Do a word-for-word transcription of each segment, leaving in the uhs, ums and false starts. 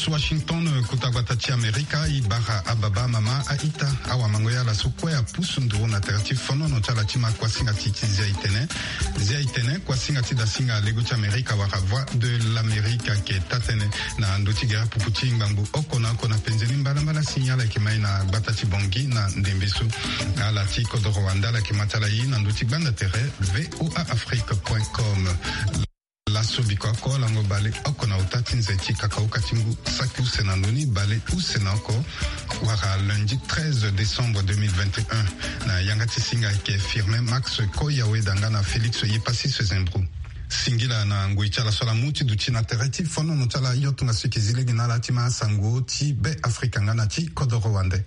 Washington, kota gbata ti Amerika, e bara ababa, amama, a-ita, awamango, ya ala so kue apusu nduru na tere ti fonono ti ala ti ma kuasinga ti ti Zia Itene. Zia Itene, kuasinga ti dasinga lego ti Amerika wala Voix de l'Amérique, ayeke taa-tënë na ndö ti gere pupu ti ngbangbo oko na oko na penze ni mbalambala si ala yeke mai na gbata ti Bangui na ndembe so. Ala ti kodoro wande ala yeke ma ti ala ye na ndö ti gbanda tere V O A Afrique point com. Laso biko oko lango baleoko na ota ti nze ti kakauka ti ngu saki use na ndoni baleuse na oko, wala lundi treize décembre deux mille vingt et un, na yanga ti singa ayeke Firmin Max Koyaweda nga na Félix Yepassis Zembro. Singila na ngoi ti ala so ala mu ti duti na tere ti fonono ti ala, yo tongaso e yeke zi lege na ala ti ma sango ti Be Afrika nga na ti kodoro wande.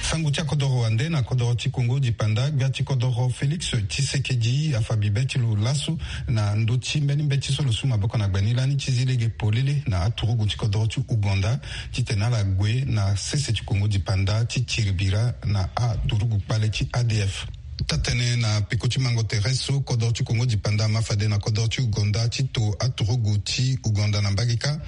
Sango ti akodoro wande na kodoro ti Kongo Dipanda, gbia ti kodoro Félix Tshisekedi afa bibe ti lo laso na ndö ti mbeni mbeti so lo su maboko na gbe ni lani ti zi lege polele na aturugu ti kodoro ti Ouganda titene ala gue na sese ti Kongo Dipanda ti tiri bira na aturugu kpale ti A D F. Taa-tënë na peko ti mango tere so kodoro ti Kongo Dipanda ama fade na kodoro ti Ouganda ti to aturugu ti Ouganda na mbage kâ,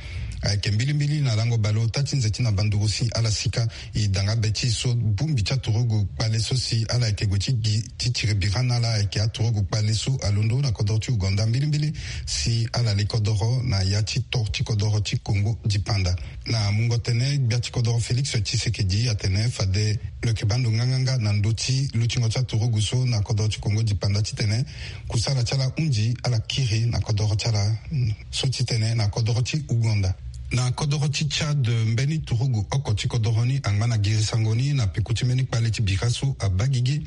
ayeke mbilimbili na lango baleota ti nze ti na banduru si ala sika. E danga be ti e so bongbi ti aturugu kpale so si ala yeke gue ti gi ti tiri bira na ala ayeke aturugu kpale so alondo na kodoro ti Ouganda mbilimbili si ala li kodoro na ya ti to ti kodoro ti Kongo Dipanda. Na mungo tënë, gbia ti kodoro Félix Tshisekedi atene fade lo yeke baa ndo nganganga na ndö ti lutingo ti aturugu so na kodoro ti Kongo Dipanda titene kusala ti ala hunzi ala kiri na kodoro ti ala, mm, so titene na kodoro ti Ouganda. Na kodoro ti Tchad, mbeni turugu oko ti kodoro ni angba na girisango ni na peko ti mbeni kpale ti bira so abaa gigi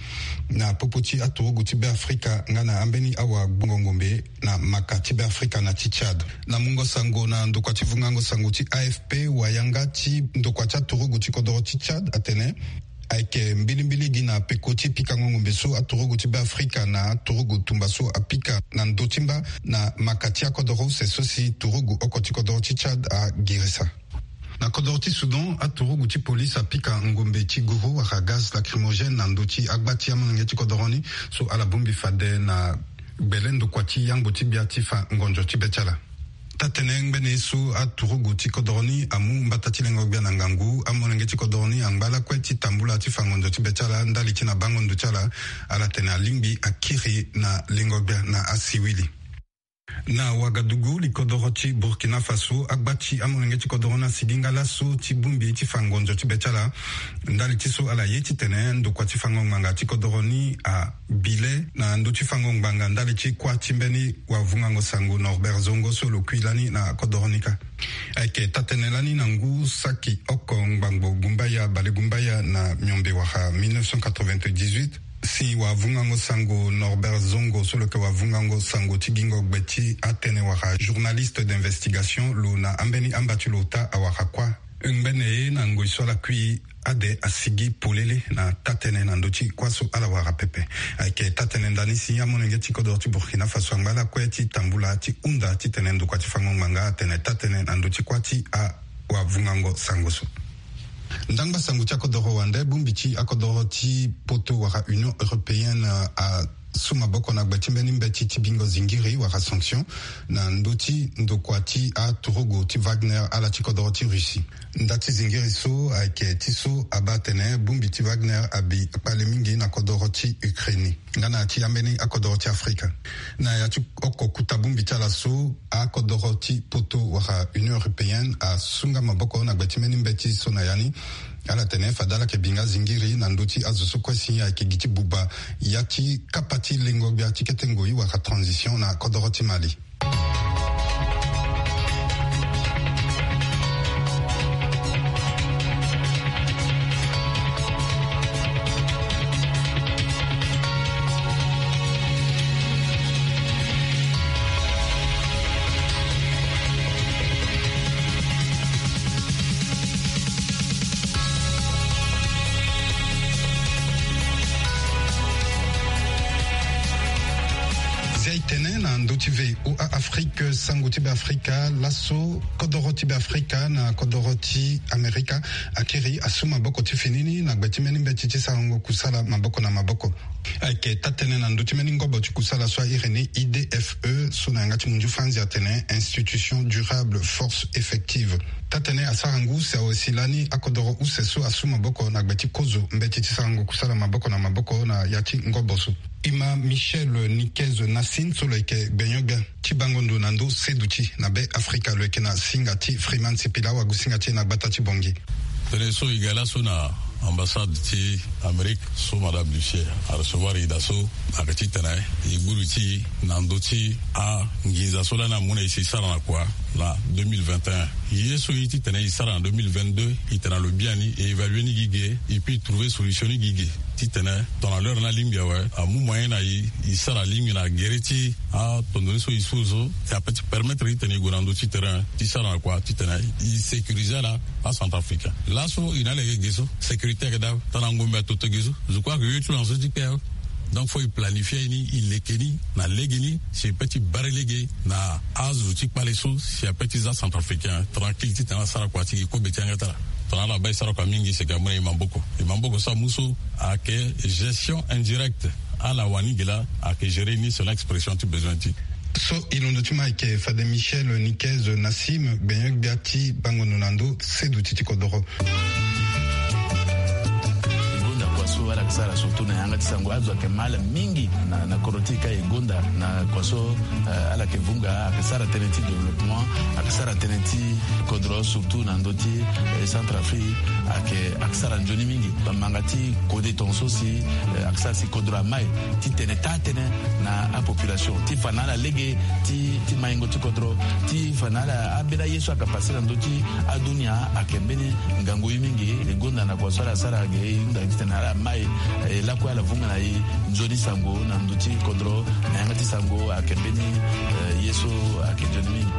na popo ti aturugu ti Be Afrika nga na ambeni awagbongo ngombe na maka ti Be Afrika na ti Tchad. Na mungo sango na ndokua ti vungango sango ti A F P, wayanga ti ndokua ti aturugu ti kodoro ti Tchad atene ayeke mbilimbili gi na peko ti pikango ngombe so aturugu ti Be Afrika na aturugu tumba so apika na ndö ti mba na maka ti akodoro use so si turugu oko ti kodoro ti Tchad agirisa. Na kodoro ti Soudan, aturugu ti polise apika ngombe ti guru wala gaz lacrymogène na ndö ti agba ti amolenge ti kodoro ni so ala bongbi fade na gbele ndokua ti yangbo ti gbia ti fa ngonzo ti be ti ala. Taa-tënë ngbene so aturugu ti kodoro ni amu mbata ti lengo gbia na ngangu, amolenge ti kodoro ni angba lakue ti tambula ti fa ngonzo ti be ti ala ndali ti na bango ndo ti ala. Ala tene alingbi akiri na lengo gbia na asiwili. Na Wagadugu, li kodoro ti Burkina Faso, agba ti amolenge ti kodoro ni asigi nga laso ti bongbi ti fa ngonzo ti be ti ala ndali ti so ala ye titene ndokua ti fango ngbanga ti kodoro ni abi le na ndö ti fango ngbanga ndali ti kuâ ti mbeni wavungango sango Norbert Zongo so lo kui lani na kodoro ni kâ. Ayeke taa-tënë lani na ngu saki oko ngbangbo gumbaya balegumbaya na miombe wala mille neuf cent quatre-vingt-dix-huit, si wavungango sango Norbert Zongo so lo yeke wavungango sango ti gingo gbe ti atënë wala journaliste d'investigation, lo na ambeni amba ti lo ota awara kuâ. Ngbene ye na ngoi so ala kui ade asigi polele na taa-tënë na ndö ti kuâ so ala wara pepe. Ayeke taa-tënë ndani si amolenge ti kodoro ti Burkina Faso angba lakue ti tambula ti hunda titene ndokua ti fango ngbanga atene taa-tënë na ndö ti kuâ ti awavungango sango so. Ndangba sango ti akodoro wande, bongbi ti akodoro ti poto wala Union européenne a su maboko na gbe ti mbeni mbeti ti bingo zingiri wala sanction na ndö ti ndokua ti aturugu ti Wagner, ala ti kodoro ti Russie. Nda ti zingiri so ayeke ti so abaa atene bongbi ti Wagner abi kpale mingi na kodoro ti Ukraine nga na ya ti ambeni akodoro ti Afrika. Na ya ti oko kota bongbi ti ala so, akodoro ti poto wala Union européenne asu nga maboko na gbe ti mbeni mbeti so na ya ni. Ala tene fade ala yeke bi nga zingiri na ndö ti azo so kue si ayeke gi ti buba ya ti kapa ti lengo gbia ti kete ngoi wala transition na kodoro ti Mali. Titene na ndö ti V O A Afrique, sango ti Beafrika laso, kodoro ti Beafrika na kodoro ti Amerika akiri asu maboko ti fini ni na gbe ti mbeni mbeti ti sarango kusala maboko na maboko. Ayeke taa-tënë na ndö ti mbeni ngobo ti kusala so a iri ni I D F E, so na yanga ti munzu Franzi atene Institution Durable Force Effective. Taa-tënë asara ngu si awe si lani akodoro use so asu maboko na gbe ti kozo mbeti ti sarango kusala maboko na maboko na ya ti ngobo so. Ima Michel Niquez Nassim so lo yeke gbenyo-gbia ti bango ndo na ndö seduti na Beafrika, lo yeke na singa ti Freeman Sipila, wagu singa ti e na gbata ti Bangui. Tënë so e ga laso na ambassade ti Amérique so Madame Lucier arecevoir e daa so, ayeke titene e gbu li ti e na ndö ti anginza so lani amu na e si e sara na kua na deux mille vingt et un. Ye so e ye titene e sara na deux mille vingt-deux, e tene na lo biani, e évaluer ni gi ge, et puis e trouver solution ni gi ge. Titene tongana l'heure ni alingbi awe, amu moyen na e, e sara alingbi na gere ti atondo ni so e su so, si ape ti permettre titene e gue na ndö ti terrain ti sara na kua titene e sécuriser ala acentrafricain. Laso e na ala yeke ge so, sécurité ayeke daa, tongana ngombe atoto ge so. Je crois que ye ti lo na so ti kpe awe. Donc faut e planifier ni, e leke ni na lege ni, si e pe ti bare lege na azo ti kpale so, si ape ti za centrafricain tranquille titene ala sara kua ti gi kobe ti yanga ti ala. Tongana ala baa e sara kua mingi, c'est que amu na e maboko. E maboko so amu so ayeke gestion indirecte. Ala wani ge laa ayeke gérer ni selon expression ti besoin ti. So e londo ti ma ayeke fade Michel Niquez Nassim, gbenyo-gbia ti bango ndo na ndö seduti ti kodoro. E gonda kua so ala yeke sara surtout na yanga ti sango, azo ayeke ma ala mingi na, na kodro ti e ka. E gonda na kua so, eh, ala yeke vunga, ayeke sara tënë ti développement, ayeke sara tënë ti kodro, surtout na ndö ti, eh, Centrafrique, ayeke, ayeke sara nzoni mingi. Bamanga ti kode tongaso si, eh, ayeke sara si kodro amai titene taa-tënë na apopulation, ti fa na ala lege ti, ti maingo ti kodro, ti fa na ala ambeni aye so ayeke pase na ndö ti adunia. Ayeke mbeni ngangu ye mingi. E gonda na kua so ala sara ge, e hunda titene ala mai, eh, lakue ala vunga na e nzoni sango na ndö ti kodro, na yanga ti sango ayeke mbeni, eh, ye so ayeke nzoni mingi.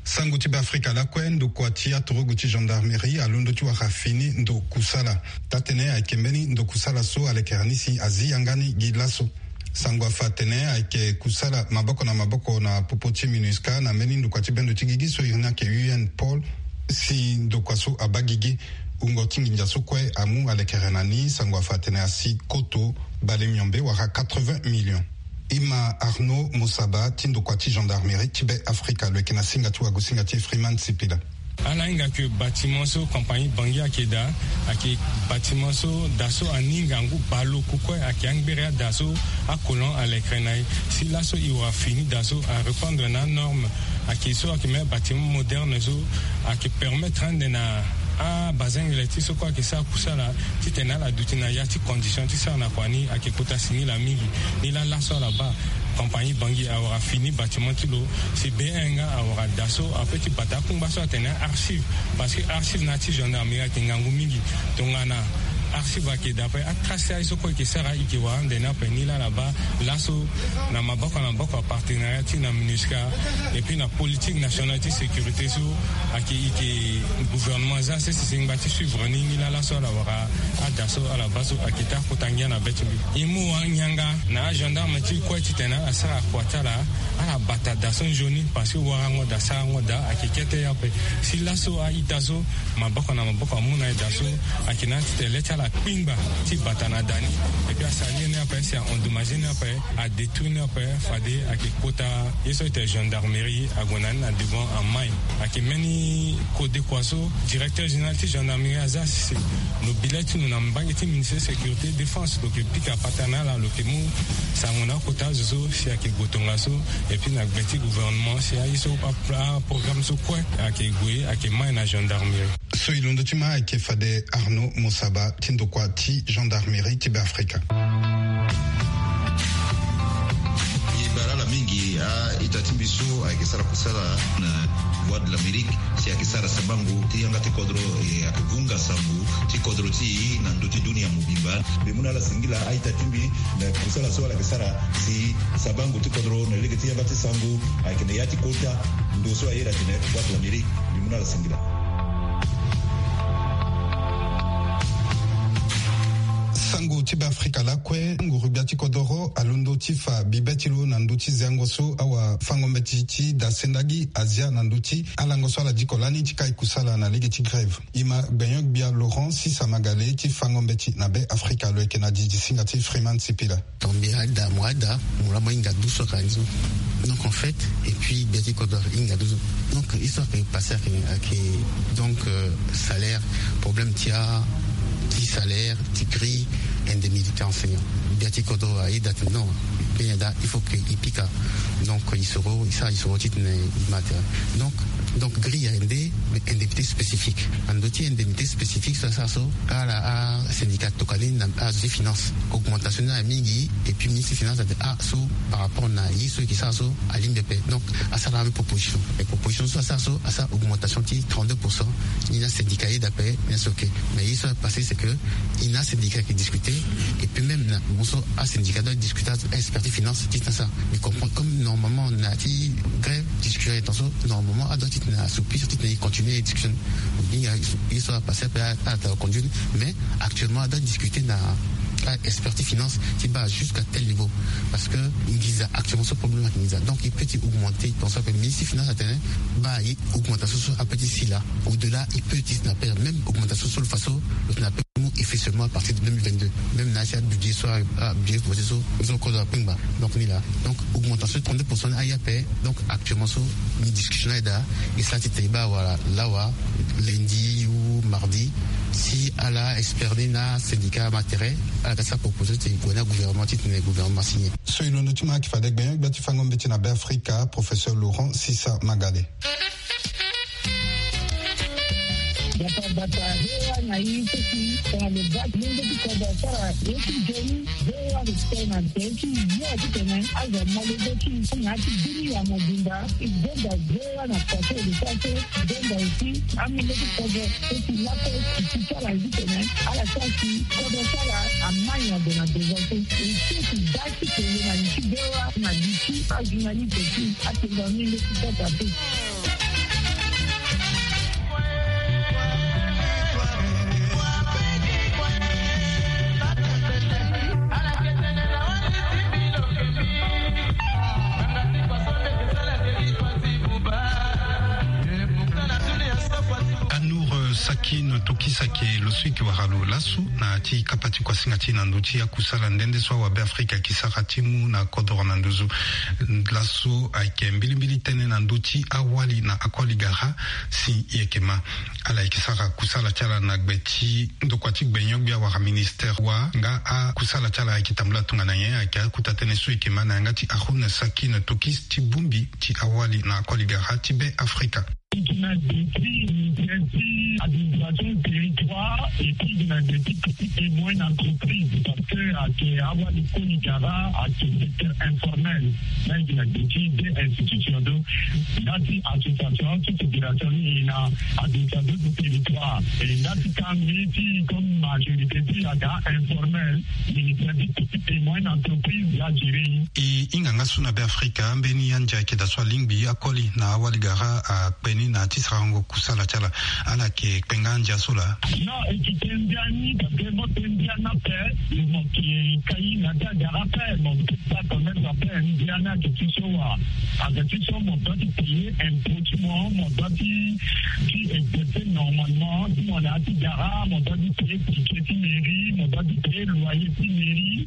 Sango ti Beafrika lakue, ndokua ti aturugu ti gendarmerie alondo ti wara fini ndo kusala. Taa-tënë ayeke mbeni ndo kusala so alekere ni si azi yanga ni gi laso. Sango afa atene ayeke kusala maboko na maboko na popo ti MINUSCA na mbeni ndokua ti bendo ti gigi so iri ni ayeke U N Pôle, si ndokua so abaa gigi. Wungo ti nginza so kue amu alekere na ni, sango afa atene asi koto bale miombe wala quatre-vingts millions. Ima Arnaud Mosaba ti ndokua ti gendarmerie ti Beafrika, lo yeke na singa ti wagu singa ti Freeman Sipila. Ala hinga ke bâtiment so compagnie Bangui ayeke daa, ayeke bâtiment so daa so aninga ngu baleoko kue, ayeke angbere ada so acolon alekere na e. Si laso e wara fini daa so arépondre na anorme. Ayeke so ayeke même bâtiment moderne so ayeke permettre ande na abazengele ti so kue ayeke sara kusala titene ala duti na ya ti condition ti sara na kua ni ayeke kota singila mingi. Ni laa laso ala baa compagnie Bangui awara fini bâtiment ti lo, si B un nga awara daa so ape ti bata akungba so atene archive, parce que archive na ya ti gendarmerie ayeke ngangu mingi. Tongana archive ayeke daa ape, atrace ti aye so kue e yeke sara e yeke wara ande ni ape. Ni laa ala baa laso na maboko na maboko apartenariat ti e na MINUSCA et puis na politique nationale ti sécurité so ayeke, e yeke gouvernement za sese si ngba ti suivre ni. Ni laa laso ala wara ada so ala baa so ayeke taa kota ngia na be ti mbi. E mu wara ngianga na agendarme ti e kue titene ala sara kua ti ala, ala bata daa so nzoni, parce que warango daa sarango daa ayeke kete ye ape. Si laso a-ita so maboko na maboko amu na e daa so, ayeke na ya ti tene le ti ala kpingba ti bata na daa ni. Et puis asara ye ni ape si a endommagé ni ape, adétruit ni ape, fade ayeke kota ye so ayeke gendarmerie ague na ni na devant amai. Ayeke mbeni kodekua so directeur général ti gendarmerie aza sese. Lo bi le ti lo na mbage ti ministère sécurité défense, lo yeke pika patana ala, lo yeke mu sango na akota azo so si ayeke gue tongaso. Et puis na gbe ti gouvernement si aye so a, aprogramme so kue ayeke gue, ayeke mai na gendarmerie. So e londo ti ma ayeke fade Arnaud Mosaba ti ndokua ti gendarmerie ti Beafrika. E bara ala mingi a-ita ti mbi so. Ayeke sara kusala na Voix de l'Amérique, si ayeke sara sabango ti yanga ti kodro, e ayeke vunga sango ti kodro ti e na ndö ti dunia mobimba. Mbi mu na ala singila a-ita ti mbi na kusala so ala yeke sara si sabango ti kodro na lege ti yanga ti sango ayeke na ya ti kota ndo so aye na tene Voix de l'Amérique. Mbi mu na ala singila. Sango ti Beafrika lakue, nguru-gbia ti kodoro alondo ti fa bibe ti lo na ndö ti zengo so awafango-mbeti ti dasendagi Azia na ndö ti alango so ala diko lani ti kai kusala na lege ti grève. E ma gbenyo-gbia Laurent Sisa Magale ti fango-mbeti na Beafrika, lo yeke na didisinga ti Freeman Sipila. Donc mbi ada, mo ada, mo laa mo hinga dusu aka ni so. Donc en fait, et puis gbia ti kodro ahinga dusu. Donc histoire ayeke passé ayeke, ayeke donc, euh, salaire, problème ti a, ti salaire, ti grille, indemnité enseignant. Gbia ti kodro ayeda atene non, mbi yeda il faut que e pika. Donc e soro, e sara e soro titene e ma tere. Donc, donc grille ayeke nde, mais indemnité spécifique. Na ndö ti indemnité spécifique so asara so, ala asyndicat atokua ni na azo ti finance. Augmentation ni ayeke mingi, et puis ministre ti finance atene ah so par rapport na ye so e yeke sara so alingbi ape. Donc asara même proposition. Et proposition so asara so, asara augmentation ti trente-deux pour cent. Ni na syndicat ayeda ape, ni na so ok. Mais ye so apassé c'est que e na asyndicat ayeke discuter, et puis même na mo so asyndicat doit discuter, expert ti finance ti tene asara. Mais comprendre comme normalement na ya ti grève, discussion ayeke tene so normalement adoit titene asoupi so titene e continuer discussion. Ye so apassé ape, a, a, a conduire. Mais actuellement adoit discuter na, a, expert ti finance ti baa jusqu'à tel niveau. Parce que nginza actuellement so problème ayeke nginza. Donc e peut ti augmenter, e pense ape ministre ti finance atene baa ye augmentation so ape ti sila. Au-delà e peut ti tene ape même augmentation so lo fa so lo tene ape mu effet seulement à partir de deux mille vingt-deux. Même na ya ti abudget so, abudget proposé so, so kodro akpengba. Donc ni laa. Donc augmentation trente-deux pour cent ni aye ape. Donc actuellement so, ni discussion ni ayeda, e sara titene e baa wala lawa, lundi ou mardi, si ala expert ni na syndicat ama tere, ala ga ti sara proposition titene e gue na gouvernement titene gouvernement signé. So e londo ti ma ayeke fade gbenyo-gbia ti fango-mbeti na Beafrika, professeur Laurent Sisa Magale. Bata bata, V O A na e so si tongana lo ga ti lenge ti kodro asara ye ti nzoni, V O A respect na nzoni ti yo titene azo amolenge ti na ya ti dunia mobimba. E gonda V O A na façon e lo sara so, e gonda aussi amolenge ti kodro so si laso e si ti sara ye titene ala sara si kodro ti ala amai na gue na devant so. E so si ga ti tene na li ti V O A na li ti ajournaliste ti atene na ni leti kota te. Anour, euh, Sakin Tokis ayeke lo so e yeke wara lo laso na ya ti kapa ti kuasinga ti e na ndö ti akusala nde nde so awabeafrika ayeke sara ti mu na kodoro na nduzu. Laso ayeke mbilimbili tënë na ndö ti awali na akoli gara si e yeke ma. Ala yeke sara kusala ti ala na gbe ti ndokua ti gbenyo-gbia wala ministère wa nga akusala ti ala ayeke tambula tongana nyen, ayeke akota tënë so e yeke ma na yanga ti Haroun Sakin Tokis ti bongbi ti awali na akoli gara ti Beafrika. Gi na gbe ti ministère ti administration territoire et puis gi na gbe ti petite et moyenne entreprise, parce que ayeke awali koli gara ayeke secteur informel. Na gi na gbe ti deux institutions, donc ndati association ti fédération ni e na administration ti territoire, e ndati kangbi ti comme majorité ti aga informel, ministère ti petite et moyenne entreprise ya gérer. E hinga nga so na Beafrika, mbeni andia ayeke daa so alingbi akoli na awali gara akpe ni na ya ti sarango kusala ti ala. Ala yeke kpe nga andia so laa? Non, e yeke kpe ndia ni, parce que mo kpe ndia ni ape, mo yeke kai na ya ti agara ape, mo yeke sara commerce ape. Ndia ni ayeke ti so wa, ayeke ti so mo doit ti payer impôt ti mo, mo doit ti, ti exercer normalement ti mo na ya ti gara, mo doit ti payer ticket ti mairie, mo doit ti payer loyer ti mairie.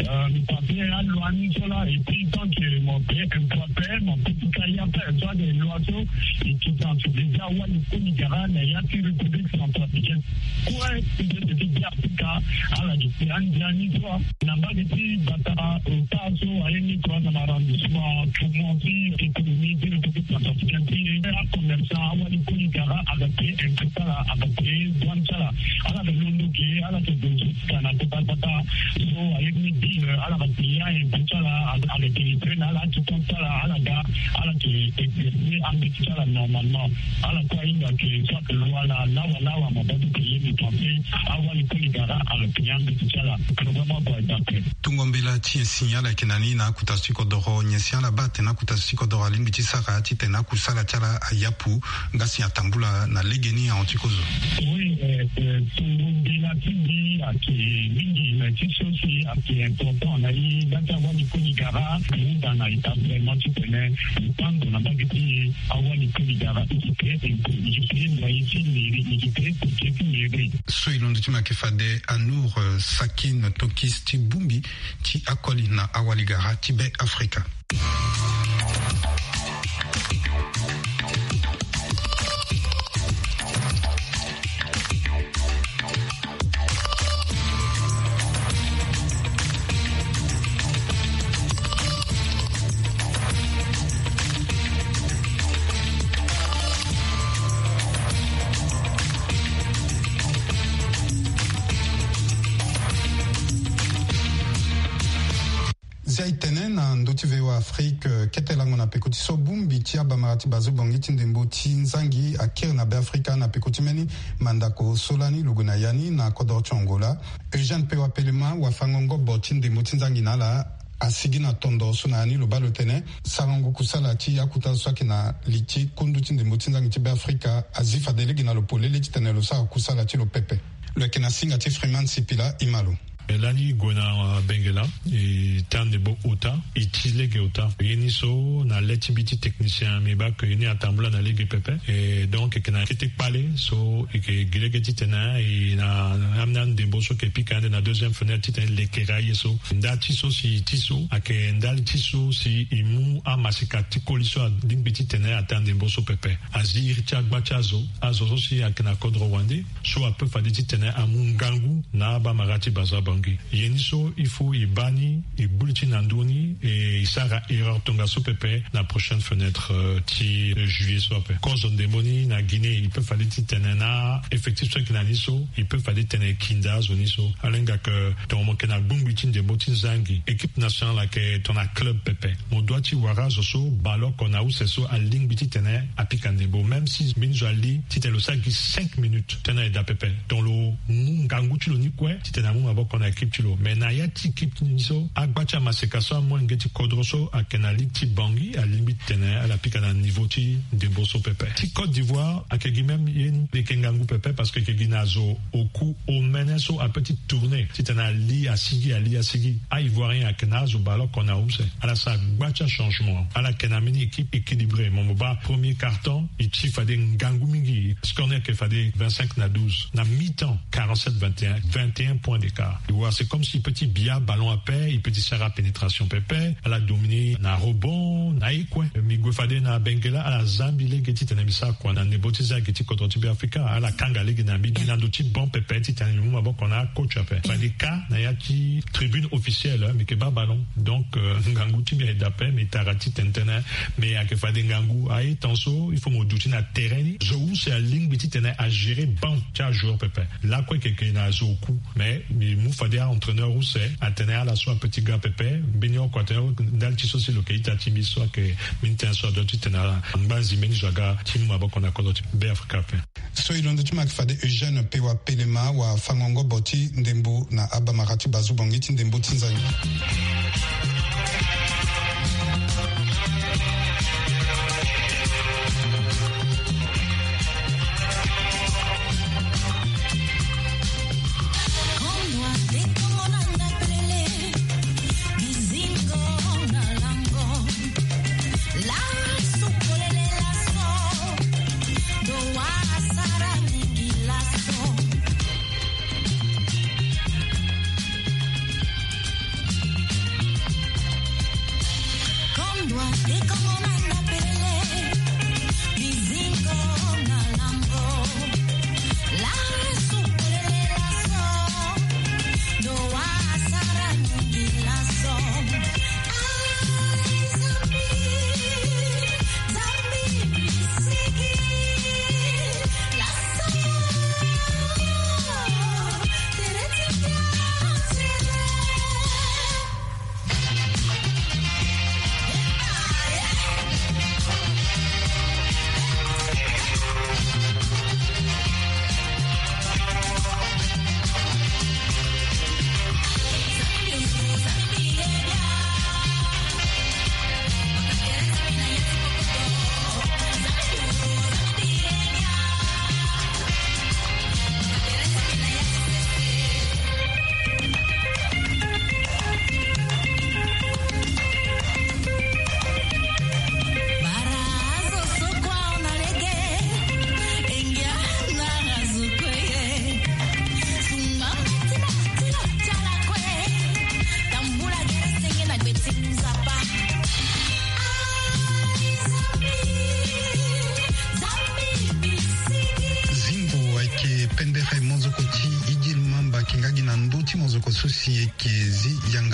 Euh, mi paye aloyer ni so laa, et puis tant que mo paye impôt ape, mo peut ti kai ape. So ayeke loi so e yeke sensibiliser awali koli gara na ya ti République centrafricaine. Kue ti Beafrika, ala yeke kpe andia ni so na mbage ti bata ota so. Aye ni kua na arrondissement Tourmont ti économie ti le centrafricain ti e. Acommerçant awali koli gara aga te impôt ti ala, aga te douane ti ala. Ala ga londo ge, ala ga donzo ti tana kota kota. So aye ni bi ala ga paya impôt ti ala, aga délivré na ala ti compte ti ala, ala ga, ala ga exercer ambeti ti ala normalement. Ala kue ahinga ke soit loi la lawa lawa, ma batu ke ye ni pensé. Awali koli gara aga paya ambeti ti ala. Programme ague dape. Tungo mbela ti e si ala yeke na ni na akuta ti kodoro nyen si ala baa atene akuta ti kodoro alingbi ti sara titene akusala ti ala ayapu. Nga si atambula na legeni ahon ti kozo. Oui, eh, eh, tungo mbela ti mbi ayeke mingi, mais ti so si ayeke important na e nga ti awali koli gara, ahinga na établissement titene e tango na mbage ti e. Awali koli gara e yeke e yeke loyer ti mairie, e yeke budget ti mairie. So e londo ti mbi ayeke fade Anour, eh, Sakin Tokis ti bongbi ti akoli na awali gara ti Be Afrika. Zia e tene na ndö ti V O A Afrique, eh, kete lango na peko ti so bongbi ti abamara ti bazo bongi ti ndembo ti nzangi akiri na Be Afrika na peko ti mbeni mandako so lani lo gue na ya ni na kodoro ti Angola. Eugène Pewa Pelema, wafango-ngobo ti ndembo ti nzangi na ala, asigi na tondo so na ya ni lo baa lo tene sarango kusala ti akuta so ayeke na li ti kundu ti ndembo ti nzangi ti Be Afrika azi fade lege na lo polele titene lo sara kusala ti lo pepe. Lo yeke na singa ti Freeman Sipila, e ma lo. E lani e gue na Bengela, e taa ndembo ota, e ti lege ota. Ye ni so na le ti mbi ti technicien, mbi baa ke ye ni atambula na lege pepe. E donc e yeke na kete kpale so e yeke gi lege titene e na, na, na ndembo so e yeke pika ande na deuxième fenêtre titene e lekere aye so. Nda ti so si e ti so ayeke ndali ti so si e mu amaseka ti koli so alingbi titene ataa ndembo so pepe. Azi iri ti agba ti azo, azo so si ayeke na kodro wande, so ape fade titene amu ngangu na abamara ti bazo abongi. Ye ni so il faut e baa ni, e gbu li ti na ndö ni, e sara erreur tongaso pepe na prochaine fenêtre, euh, ti, euh, juillet so ape. Kozo ndembo ni na Guinée, e pe fade titene na effectif so ayeke na ni so, e pe fade titene e kinda azo ni so. Ala hinga ke tongana mo yeke na gbongbi ti ndembo ti nzangi, équipe nationale ayeke tongana club pepe. Mo doit ti wara azo so bale oko na use so alingbi titene apika ndembo, même si mbeni zo ali titene lo sara gi cinq minutes, tënë ayeke daa pepe. Donc lo mu ngangu ti lo ni kue titene amu maboko na équipe ti lo. Mais na ya ti équipe ti ni so, agba ti amaseka so amolenge ti kodro so ayeke na ligue ti Bangui, alingbi titene ala pika na niveau ti ndembo so pepe. Ti Côte d'Ivoire ayeke gi même ye ni, e yeke ngangu pepe parce que e yeke gi na zo oku omene so ape ti tourner titene ali asigi, ali asigi. A-Ivoirien ayeke na azo bale oko na use. Ala sara gba ti achangement. Ala yeke na mbeni équipe équilibré. Mo, mo baa premier quart-temps, e ti fade ngangu mingi. Score ni ayeke fade vingt-cinq na douze. Na mi-temps, quarante-sept vingt et un, vingt et un points d'écart. E wara c'est comme si e peut ti bia ballon ape, e peut ti sara pénétration pepe. Ala dominer na rebond, na ye kue. Mbi gue fade na Bengela, ala zia mbi lege titene mbi sara kua na ndembo ti nzangi ti kodro ti Beafrika. Ala kanga lege na mbi, mbi na ndo ti bon pepe titene mbi mu maboko na acoach ape. Fade ka na ya ti tribune officielle, mbi yeke baa ballon. Donc, euh, ngangu ti mbi ayeke daa ape, mbi tara titene tënë, mais ayeke fade ngangu. Aye, temps so il faut mo duti na terrain ni. Zo use alingbi titene agérer banc ti ajoueur pepe. Lakue e yeke na zo oku. Mais mbi mu fade a-entraîneur use atene ala so ape ti ga pepe, mbeni oko atene ndali ti so si lo yeke ita ti mbi so ayeke mbeni tënë so adoit titene ala ngba nzi mbeni zo aga ti mu maboko na kodro ti Beafrika ape. So e londo ti mbi ayeke fade Eugène Pewa Pelema, wafango-ngobo ti ndembo na abamara ti bazo bongi ti ndembo ti nzangi.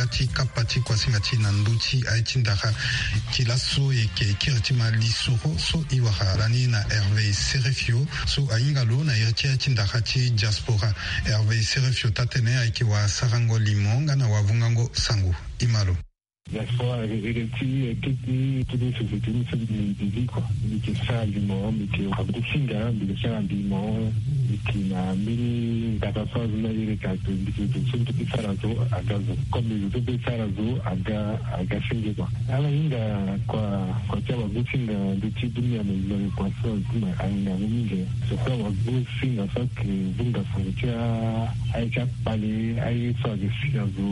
ti kapa ti kuasinga ti na ndö ti aye ti ndara ti laso eke kiri ti ma lisoro so e wara lani na Hervé Serefio so ahinga lo na iri ti aye ti ndara ti diaspora. Hervé Serefio taa-tene ayeke wasarango limo nga na wavungango sango. E ma lo. Diaspora eke ti eke ti toute une société ni so mbi zi kua. Mbi yeke sara limo, mbi yeke wagosinga, mbi yeke sara limo. Mbi yeke na mbeni ndaka so azo ni ayeke ka, mbi yeke zo so mbi yeke sara zo aga zo. Comme mbi zo so mbi yeke sara zo aga aga senge kua. Ala hinga kua, kua ti awagosinga ndö ti dunia mobimba, kua so azo ti ma ahinga yango mingi. Surtout awagosinga so ayeke vunga sango ti a, aye ti akpale, aye so ayeke si azo,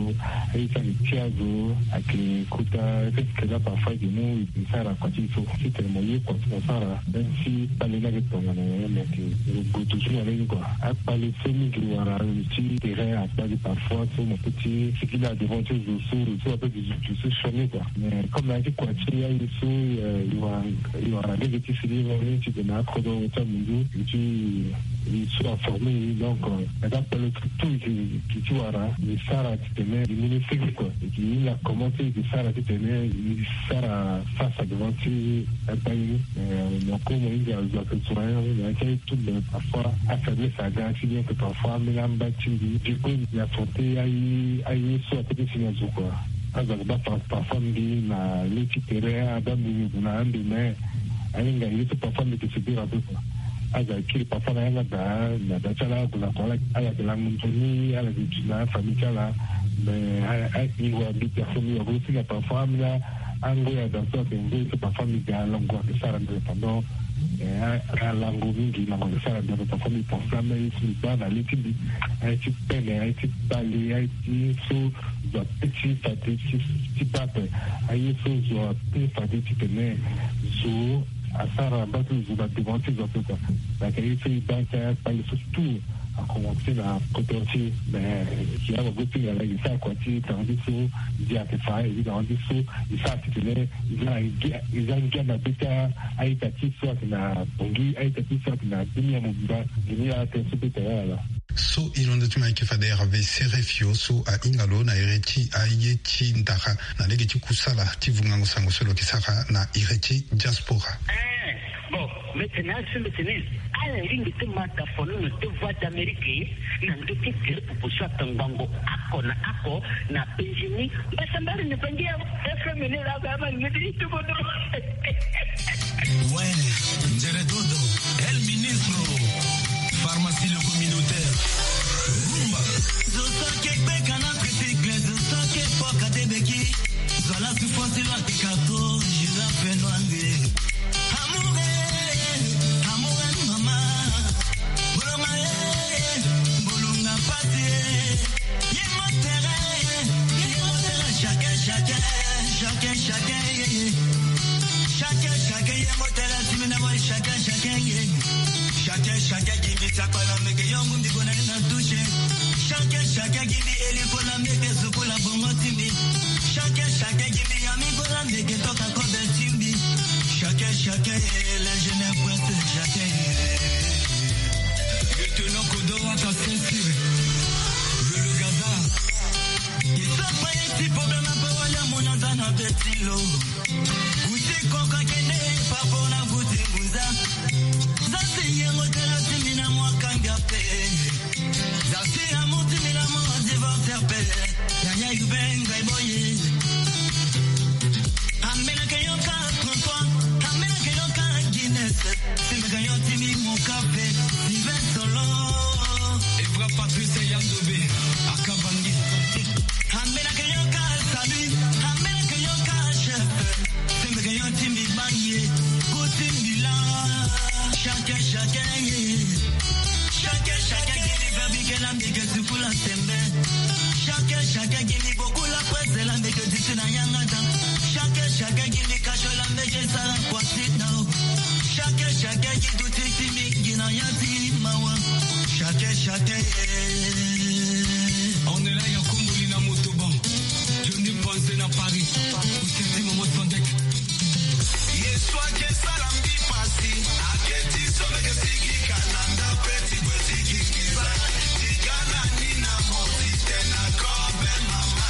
aye so ayeke ti azo, ayeke kota, ayeke kota parfois ayeke mu e sara kua ti e so. Titene mo ye kua ti mo sara, même si kpale ni ayeke tongana nyen, me ayeke lo gue toujours na lege ni kua. Akpale so mingi wara lo ti terrain akpale parfois so mo peut ti sigi na devant ti zo so, zo so ape zo so sioni kua. Mais comme na ya ti kua ti aye so, euh, e wara, e wara lege ti sigi na lege ti tene akodro ti amundu, ti e so aforme e, donc, euh, na ka pele ti tout e ti wara e sara titene e mu ni sigi kua. E ke hinga comment ti e ke sara titene e sara face à devant ti akpale ni. Euh, na ko mo hinga azo ayeke zo na ya ni, na ya ti aye tout, mais parfois afaiblesse aga ti bien que parfois ambeni amba ti mbi. Du coup, mbi affronter aye, aye so ape ti si na zo kua. Azo ayeke baa par-, parfois mbi na le ti tere, abaa mbi mbi gue na ande, mais ahinga ye so parfois mbi yeke subir ape kua. Azo ayeke kiri parfois na yanga daa, na daa ti ala ague na kua, ala, ala yeke lango nzoni, ala yeke duti na afamille ti ala. Mais a, a, e wara mbi personne, e wara mbi aussi na parfois ambeni angoi daa so ayeke ngoi so parfois mbi ga lango ayeke sara ndere pendant, eh, a, alango mingi, lango ayeke sara ndere parfois mbi pense ambeni aye so mbi baa na le ti mbi, aye ti pele, aye ti kpale, aye ti so zo ape ti fade ti, ti baa ape. Aye so zo ape fade titene zo asara mbage ti zo na devant ti zo ape kua. Donc aye so e baa ti akpale so tout a commencer na kodro ti e. Mais si awagosinga laa e sara kua ti tanga ti so, ndia ayeke fa, e tanga ti so e sara titene e za ngia, e za ngia na be ti a-ita ti so ayeke na Bangui, a-ita ti so ayeke na dunia mobimba. Dunia atene so be tene ala. So e londo ti ma ayeke fade Hervé Serefio so ahinga lo na iri ti aye ti ndara na lege ti kusala ti vungango sango so lo yeke sara na iri ti diaspora. Eh, bon, mbi tene azo so mbi tene ala lingbi ti ma tafoni na deux voix d'Amérique na ndö ti tele popo so atangbango oko na oko na Benjini. Mbasambari na Bangi ya F M ni la ba ma ngedi ti kodro. Ouais, Nzere Dodo, El Ministro, pharmacie le communautaire. Rumba. Zo so ayeke gbeka na tricycle, zo so ayeke poka te beki. Zo la souffrance lo ayeke kato, je la fais noir. Amour, eh, amour, eh, mama. Boloma, eh, bolonga pasi, eh. Ye motere, ye motere, chacun, chacun, chacun, chacun, ye, ye. Chacun, chacun, ye motere, ti mbi na moi, chacun, chacun, ye. Chacun, chacun, give me sakpala, meke yo mundi kona na touche. Chacun, chacun, give me eli kola, meke sukula bongo ti mbi. Chacun, chacun, give me ami kola, meke toka kobe ti mbi. Chacun, chacun, eh, les jeunes princes, chacun, eh. Lieutenant Kodo, wata sensire. Lulu Gaza. Isa pa ye ti problème, ape wali amona za na be ti lo. Kuti koko akende, papa na kuti ngunza. Za si ye motere ti mbi na mwa kanga pe. Za si amour ti mbi na mwa divorce pe. Yaya yube ngai boye. Ambeni ayeke yoka trente-trois, ambeni ayeke yoka Guinness. Si mbi yeke yo ti mbi mo kafe, Sylvain Solo. Evra Patrice Yandobe, Akabangi. Ambeni ayeke yoka Salut, ambeni ayeke yoka chef. Si mbi yeke yo ti mbi bangi, go ti mbi la. Chacun, chacun, yeah. Chacun, chacun, give me baby girl, I'm the girl to pull a sembe. Chacun, chacun, give me beaucoup la presse, la meke disi na yanga dan. Chacun, chacun, give me cash, la meke sara kwasi dan. Chacun, chacun, give du titi mingi na ya ti mawa. Chacun, chacun, yeah. On est là, ya Kumbuli na motoban. Johnny Panze na Paris. Kuseti Momo Sandek. Yesu ake sala mbi pasi, ake ti so meke sigi kananda pe ti kue sigi kiza. Tigana ni na moti te na kobe mama.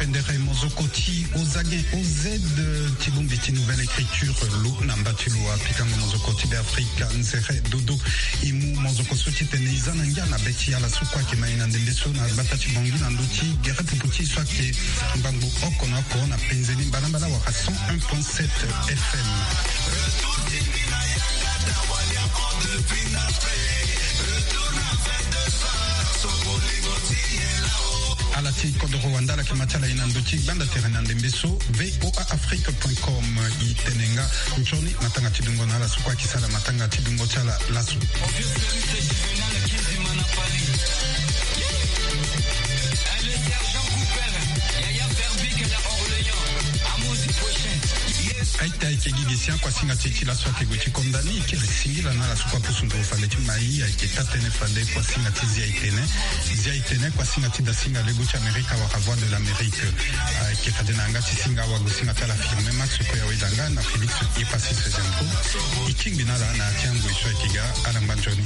Pendere mozoko ti ozagen oz ti bongbi ti nouvelle écriture lo na mba ti lo apikango mozoko ti be afrika nzere dodo. E mu mozoko so titene e za na ngia na be ti ala so kue ayeke ma e na ndembe so na gbata ti bongi na ndö ti gere pupu ti e so ayeke ngbangbo oko na oko na penze ni mbalambala wala cent un point sept F M. Ala ti kodoro wanda ala yeke ma ti ala e na ndö ti gbanda tere na ndembe so V O A Afrique point com. E tene nga nzoni matanga ti dungo na ala so kue ayeke sara matanga ti dungo ti ala laso. Aita ayeke gi gi sian kuasinga ti e ti laso ayeke gue ti konda ni. E kiri singila na ala so kue apusu nduru fade ti ma e ayeke taa-tënë fade kuasinga ti zia e tene. Zia e tene kuasinga ti dasinga lego ti Amerika wala Voix de l'Amérique. Ayeke fade na yanga ti singa awagosinga ti ala Firmin Max kue aweda nga na Félix Epassis Zempo. E tingbi na ala na ya ti angoi so ayeke ga. Ala ngba nzoni.